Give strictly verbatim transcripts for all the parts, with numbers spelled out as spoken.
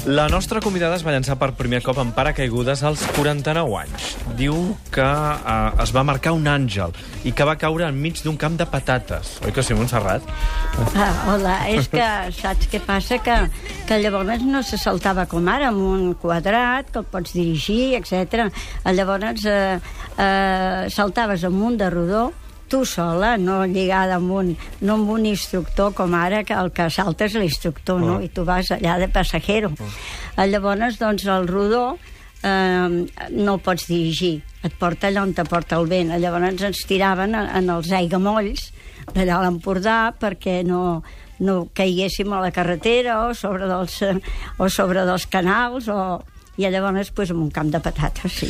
La nostra convidada es va llançar per primer cop en paracaigudes als quaranta-nou anys. Diu que eh, es va marcar un àngel i que va caure enmig d'un camp de patates. Oi que sí, Montserrat? Ah, hola, és que saps què passa? Que, que llavors no se saltava com ara, amb un quadrat, que el pots dirigir, etcètera. Llavors eh, eh, saltaves amunt de rodó, tu sola, no lligada amb un, no amb un instructor com ara, que el que salta és l'instructor, oh. no? I tu vas allà de passajero. Oh. Llavors, doncs, el rodó eh, no el pots dirigir, et porta allà on te porta el vent. Llavors ens tiraven en els aiguamolls d'allà a l'Empordà perquè no, no caiguéssim a la carretera o sobre dels, o sobre dels canals o... i llavors pues, en un camp de patates, sí.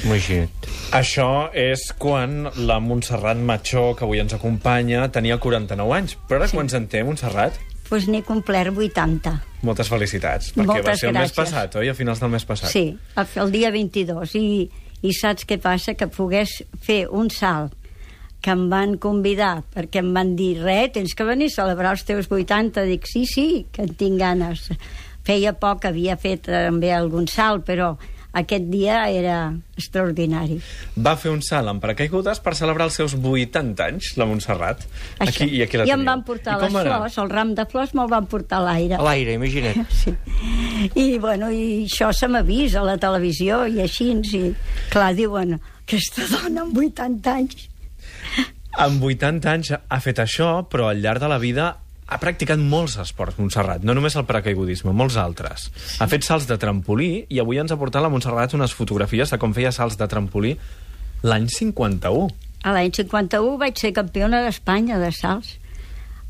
Això és quan la Montserrat Machó, que avui ens acompanya, tenia quaranta-nou anys. Però ara sí. Quants en té, Montserrat? Doncs pues n'he complert vuitanta. Moltes felicitats, perquè Moltes va ser el gràcies. mes passat, oi? A finals del mes passat. Sí, el dia vint-i-dos. I, I saps què passa? Que pogués fer un salt que em van convidar, perquè em van dir, res, tens que venir a celebrar els teus vuitanta. Dic, sí, sí, que en tinc ganes. Feia poc que havia fet també algun salt, però aquest dia era extraordinari. Va fer un salt amb paracaigudes per celebrar els seus vuitanta anys, la Montserrat. Això. Aquí, I aquí la I teniu. em van portar les flors, el ram de flors me'l van portar a l'aire. A l'aire, imagina't. Sí. I, bueno, i això se m'ha vist a la televisió i així, i clar, diuen, aquesta dona amb vuitanta anys. Amb vuitanta anys ha fet això, però al llarg de la vida ha practicat molts esports, Montserrat, no només el paracaigudisme, molts altres. Sí. Ha fet salts de trampolí i avui ens ha portat la Montserrat unes fotografies de com feia salts de trampolí l'any cinquanta-u. A l'any cinquanta-u vaig ser campiona d'Espanya de salts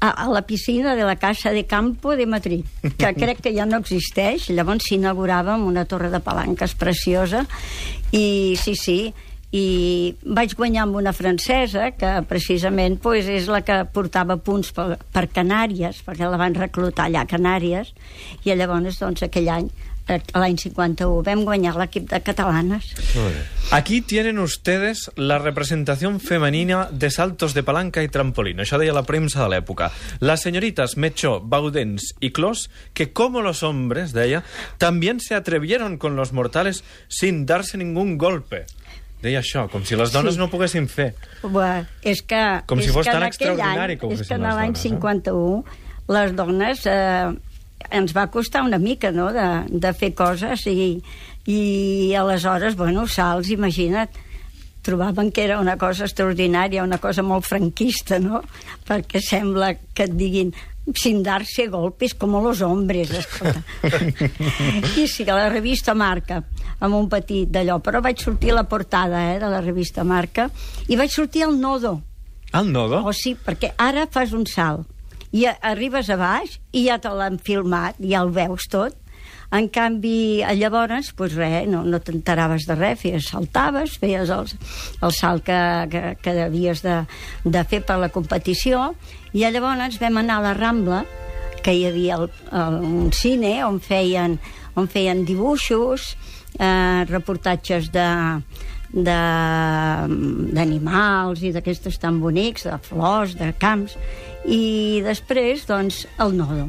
a, a la piscina de la Casa de Campo de Madrid, que crec que ja no existeix. Llavors s'inaugurava amb una torre de palanques preciosa i sí, sí, i vaig guanyar amb una francesa que precisament pues, és la que portava punts per, per Canàries, perquè la van reclutar allà a Canàries, i llavors doncs aquell any, l'any cinquanta-u, vam guanyar l'equip de catalanes. Aquí tienen ustedes la representación femenina de saltos de palanca y trampolín. Això deia la premsa de l'època. Las señoritas Mechó, Baudens y Clos, que como los hombres, deia, también se atrevieron con los mortales sin darse ningún golpe. Deia això, com si les dones sí. no ho poguessin fer. Bueno, és que, com si és fos que tan extraordinari any, que ho fessin les dones. És que en l'any cinquanta-u eh? les dones eh, ens va costar una mica, no?, de, de fer coses i, i aleshores, bueno, salts, imagina't, trobaven que era una cosa extraordinària, una cosa molt franquista, no?, perquè sembla que et diguin sin darse golpes como los hombres, escolta. I sí, a la revista Marca, amb un petit d'allò, però vaig sortir a la portada eh, de la revista Marca i vaig sortir al nodo. Al nodo? O sí, perquè ara fas un salt i arribes a baix i ja te l'han filmat, ja el veus tot. En canvi, llavors, doncs res, no, no t'enteraves de res, feies, saltaves, feies el, el salt que, que, que havies de, de fer per la competició, i llavors vam anar a la Rambla, que hi havia el, el, un cine on feien, on feien dibuixos, eh, reportatges de d'animals i d'aquestos tan bonics, de flors, de camps, i després, doncs, el nodo.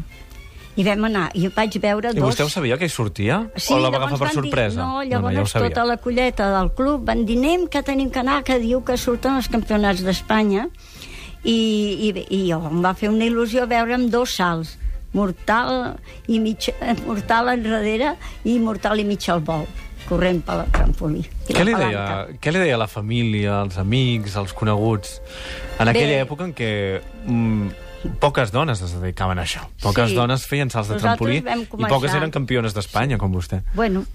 I vam anar, i vaig veure dos... I vostè ho sabia, que hi sortia? Sí, o la va agafar per sorpresa? Dir, no, llavors no, no, ja tota la colleta del club van dir, anem, que tenim que anar, que diu que surten els campionats d'Espanya, i, i, i jo em va fer una il·lusió veure'm dos salts, mortal i mig, mortal enrere i mortal i mig al vol, corrent per la trampolí. Què li, deia, què li deia la família, els amics, els coneguts, en aquella Bé, època en què... Mm, poques dones es dedicaven a això. Poques sí. dones feien salts de trampolí i poques eren campiones d'Espanya, com vostè. Bueno,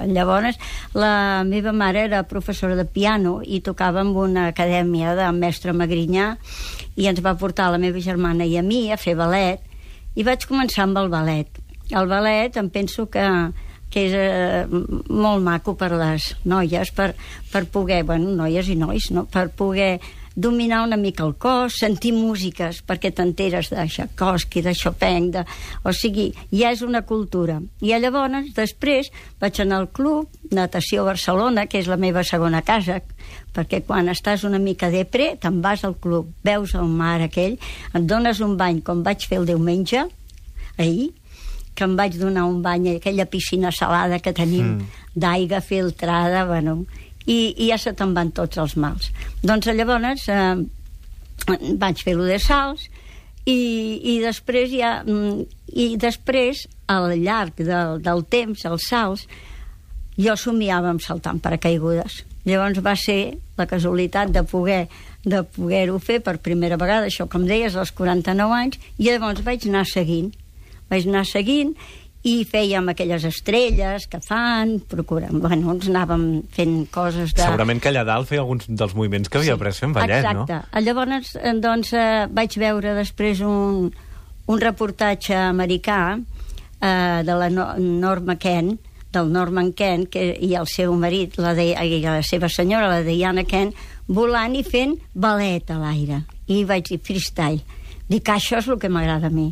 llavors la meva mare era professora de piano i tocava en una acadèmia de mestre Magrinyà i ens va portar la meva germana i a mi a fer ballet i vaig començar amb el ballet. El ballet em penso que que és eh, molt maco per les noies, per, per poder, bueno, noies i nois, no? Per poder dominar una mica el cos, sentir músiques perquè t'enteres de Tchaikovsky, de Chopin, de... o sigui, ja és una cultura. I llavors, després, vaig anar al club Natació Barcelona, que és la meva segona casa, perquè quan estàs una mica depre, te'n vas al club, veus el mar aquell, et dones un bany, com vaig fer el diumenge, ahir, que em vaig donar un bany a aquella piscina salada que tenim, mm. d'aigua filtrada, bueno, i, i ja se te'n van tots els mals. Doncs llavors eh, vaig fer-ho de salts i, i després ja i després al llarg del, del temps, els salts, jo somiava amb saltar en paracaigudes. Llavors va ser la casualitat de poder de poder-ho fer per primera vegada, això com deies, als quaranta-nou anys, i llavors vaig anar seguint. Vaig anar seguint i fèiem aquelles estrelles que fan, procurem, bueno, ens anàvem fent coses de... Segurament que allà dalt feia alguns dels moviments que havia sí, après fent ballet, exacte. No? Exacte. Llavors, doncs, eh, vaig veure després un, un reportatge americà eh, de la no Norma Kent, del Norman Kent, que, i el seu marit, la, de, i la seva senyora, la Diana Kent, volant i fent ballet a l'aire. I vaig dir, freestyle. Dic, això és el que m'agrada a mi.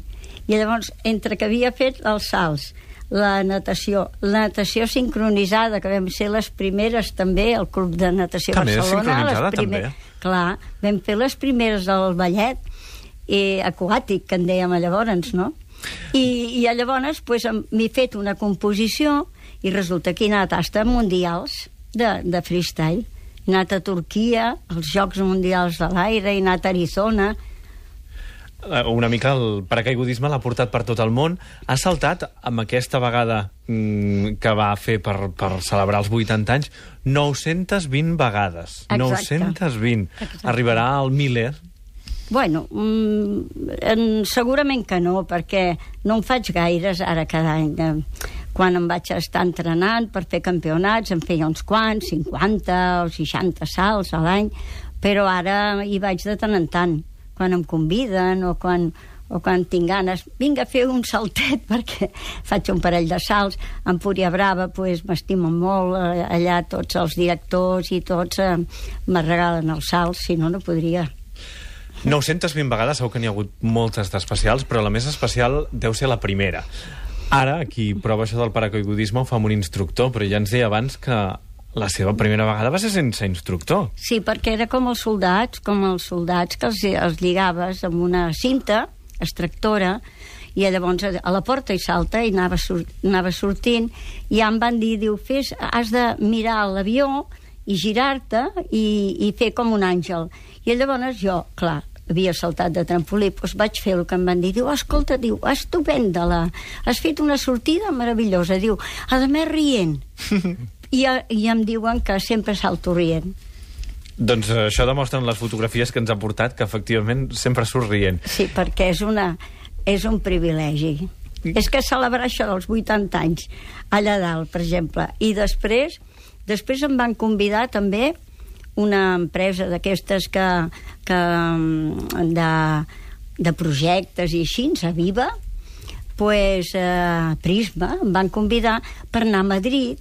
I llavors, entre que havia fet els salts, la natació, la natació sincronitzada, que vam ser les primeres també, al Club de Natació també Barcelona. Sincronitzada, les primer... també. Clar, vam fer les primeres del ballet eh, aquàtic, que en dèiem llavors, no? I, i llavors pues, m'he fet una composició i resulta que he anat a tastes mundials de, de freestyle. He anat a Turquia, als Jocs Mundials de l'Aire, he anat a Arizona. Una mica el paracaigudisme l'ha portat per tot el món. Ha saltat amb aquesta vegada mmm, que va fer per, per celebrar els vuitanta anys nou-centes vint vegades. Exacte. nou-centes vint. Exacte. Arribarà al miler? Bueno, mm, segurament que no, perquè no en faig gaires ara cada any. Quan em vaig estar entrenant per fer campionats, em feia uns quants, cinquanta o seixanta salts a l'any, però ara hi vaig de tant en tant, quan em conviden o quan, o quan tinc ganes. Vinga a fer un saltet, perquè faig un parell de salts. A Empúria Brava pues, m'estimen molt, allà tots els directors i tots eh, me regalen els salts, si no, no podria. nou-centes vint vegades, segur que n'hi ha hagut moltes d'especials, però la més especial deu ser la primera. Ara, qui prova això del paracaigudisme ho fa amb un instructor, però ja ens deia abans que la seva primera vegada va ser sense instructor. Sí, perquè era com els soldats, com els soldats que els, els lligaves amb una cinta extractora i llavors a la porta hi salta i anava, sur anava sortint i ja em van dir, diu, fes, has de mirar l'avió i girar-te i, i fer com un àngel. I llavors jo, clar, havia saltat de trampolí, doncs vaig fer el que em van dir. Diu, escolta, diu, estupenda, la... has fet una sortida meravellosa. Diu, a més rient. I, I em diuen que sempre salto rient. Doncs això demostren les fotografies que ens ha portat, que efectivament sempre surt rient. Sí, perquè és, una, és un privilegi. Mm. És que celebrar això dels vuitanta anys allà dalt, per exemple. I després, després em van convidar també una empresa d'aquestes que, que de, de projectes i així, a Viva, pues, eh, Prisma, em van convidar per anar a Madrid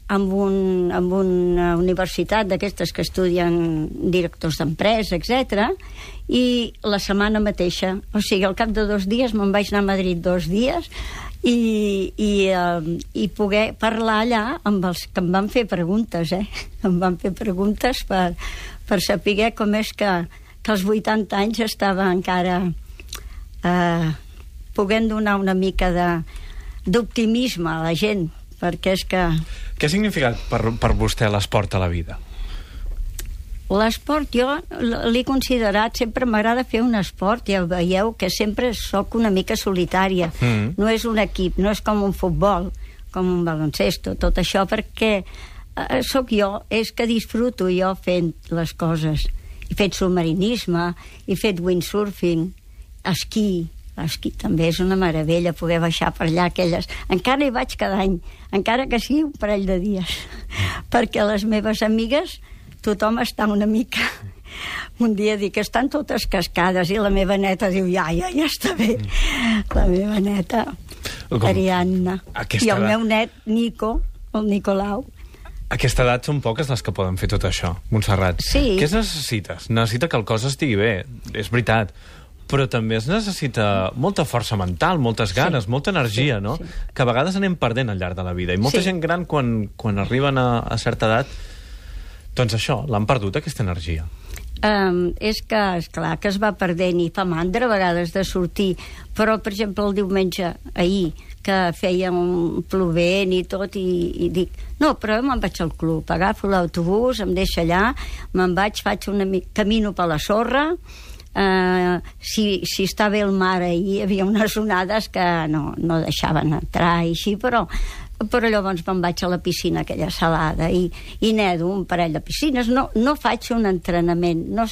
amb, un, amb una universitat d'aquestes que estudien directors d'empresa, etcètera, i la setmana mateixa, o sigui, al cap de dos dies me'n vaig anar a Madrid dos dies i, i, uh, i poder parlar allà amb els que em van fer preguntes, eh? Em van fer preguntes per, per saber com és que, que als vuitanta anys estava encara eh, podent donar una mica d'optimisme a la gent, perquè és que... Què ha significat per, per vostè l'esport a la vida? L'esport jo l'he considerat, sempre m'agrada fer un esport, ja veieu que sempre sóc una mica solitària, mm. no és un equip, no és com un futbol, com un baloncesto, tot això, perquè eh, sóc jo, és que disfruto jo fent les coses. He fet submarinisme, he fet windsurfing, esquí, l'esquí també és una meravella, poder baixar per allà aquelles... Encara hi vaig cada any, encara que sigui un parell de dies, perquè les meves amigues tothom està una mica... Un dia dic que estan totes cascades i la meva neta diu, ja, ja, ja està bé. La meva neta, Com? Ariadna. I el meu net, Nico, el Nicolau. A aquesta edat són poques les que poden fer tot això, Montserrat. Sí. Què es necessites? Necessita que el cos estigui bé, és veritat, però també es necessita molta força mental, moltes ganes, sí. molta energia, sí, no? Sí. Que a vegades anem perdent al llarg de la vida. I molta sí. gent gran, quan, quan arriben a, a certa edat, doncs això, l'han perdut, aquesta energia. Um, és que, esclar, que es va perdent i fa mandra a vegades de sortir, però, per exemple, el diumenge, ahir, que feia un plovent i tot, i, i dic, no, però me'n vaig al club, agafo l'autobús, em deixa allà, me'n vaig, faig una mica, camino per la sorra, Uh, si, si està bé el mar, ahir hi havia unes onades que no, no deixaven entrar i així, però però llavors me'n vaig a la piscina aquella salada i, i nedo un parell de piscines, no, no faig un entrenament, no,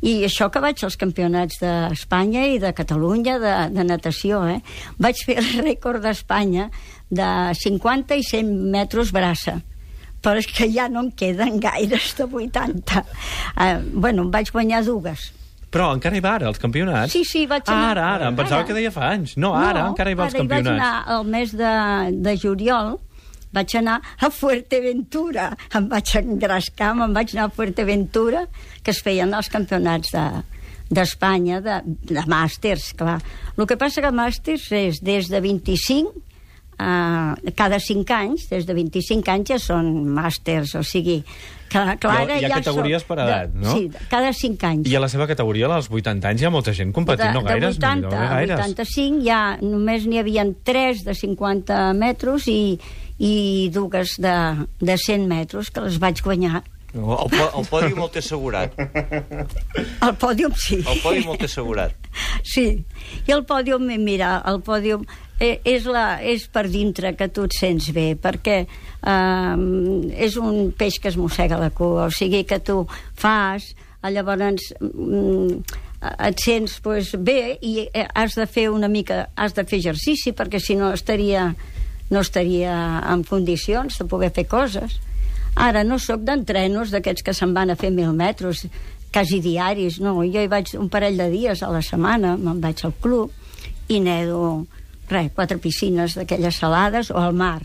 i això que vaig als campionats d'Espanya i de Catalunya de, de natació, eh? Vaig fer el rècord d'Espanya de cinquanta i cent metres braça, però és que ja no em queden gaires de vuitanta. Uh, bueno, em vaig guanyar dues. Però encara hi va ara, als campionats? Sí, sí, vaig anar... Ara, ara, em pensava ara. que deia fa anys. No, ara, no, encara hi va als campionats. No, ara hi vaig anar al mes de, de juliol, vaig anar a Fuerteventura, em vaig engrescar, me'n vaig anar a Fuerteventura, que es feien els campionats de d'Espanya, de, de màsters, clar. El que passa que màsters és des de vint-i-cinc, uh, cada cinc anys, des de vint-i-cinc anys ja són màsters, o sigui... Clar, clar, hi ha, hi ha ja categories per edat, de, no? Sí, cada cinc anys. I a la seva categoria, als vuitanta anys, hi ha molta gent competint, de, no gaires? De vuitanta no a vuitanta-cinc ja només n'hi havia tres de cinquanta metres i, i dues de, de cent metres, que les vaig guanyar. El, el pòdium el té assegurat. El pòdium sí. El pòdium el té assegurat. Sí. I el pòdium, mira, el pòdium eh, és, la, és per dintre que tu et sents bé, perquè eh, és un peix que es mossega la cua, o sigui que tu fas, llavors mm, et sents pues, bé i has de fer una mica, has de fer exercici, perquè si no estaria, no estaria en condicions de poder fer coses. Ara no sóc d'entrenos d'aquests que se'n van a fer mil metres, quasi diaris, no. Jo hi vaig un parell de dies a la setmana, me'n vaig al club i nedo, res, quatre piscines d'aquelles salades o al mar.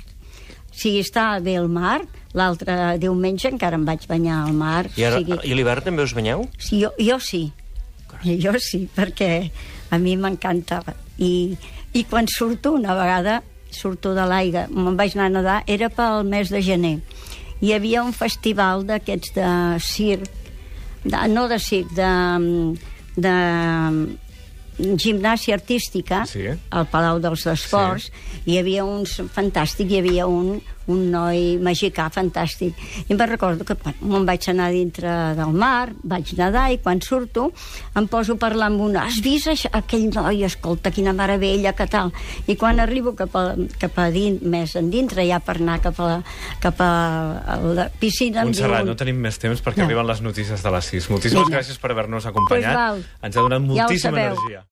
Si està bé el mar, l'altre diumenge encara em vaig banyar al mar. I, ara, sigui... i a l'hivern també us banyeu? Sí, jo, jo sí. Jo sí, perquè a mi m'encanta. I, I quan surto, una vegada, surto de l'aigua, me'n vaig anar a nedar, era pel mes de gener. Hi havia un festival d'aquests de circ, de, no de circ, de, de gimnàsia artística, sí. Al Palau dels Esports, sí. Hi havia uns fantàstic, hi havia un, un noi mexicà fantàstic. I em recordo que me'n vaig anar dintre del mar, vaig nedar, i quan surto em poso a parlar amb una, has vist això? Aquell noi, escolta, quina meravella, que tal. I quan arribo cap a, cap a dins, més endintre, ja per anar cap a la, cap a la piscina... Montserrat, diuen... no tenim més temps perquè no. Arriben les notícies de les sis. Moltíssimes Vinga. gràcies per haver-nos acompanyat. Pues val. Ens ha donat moltíssima ja energia.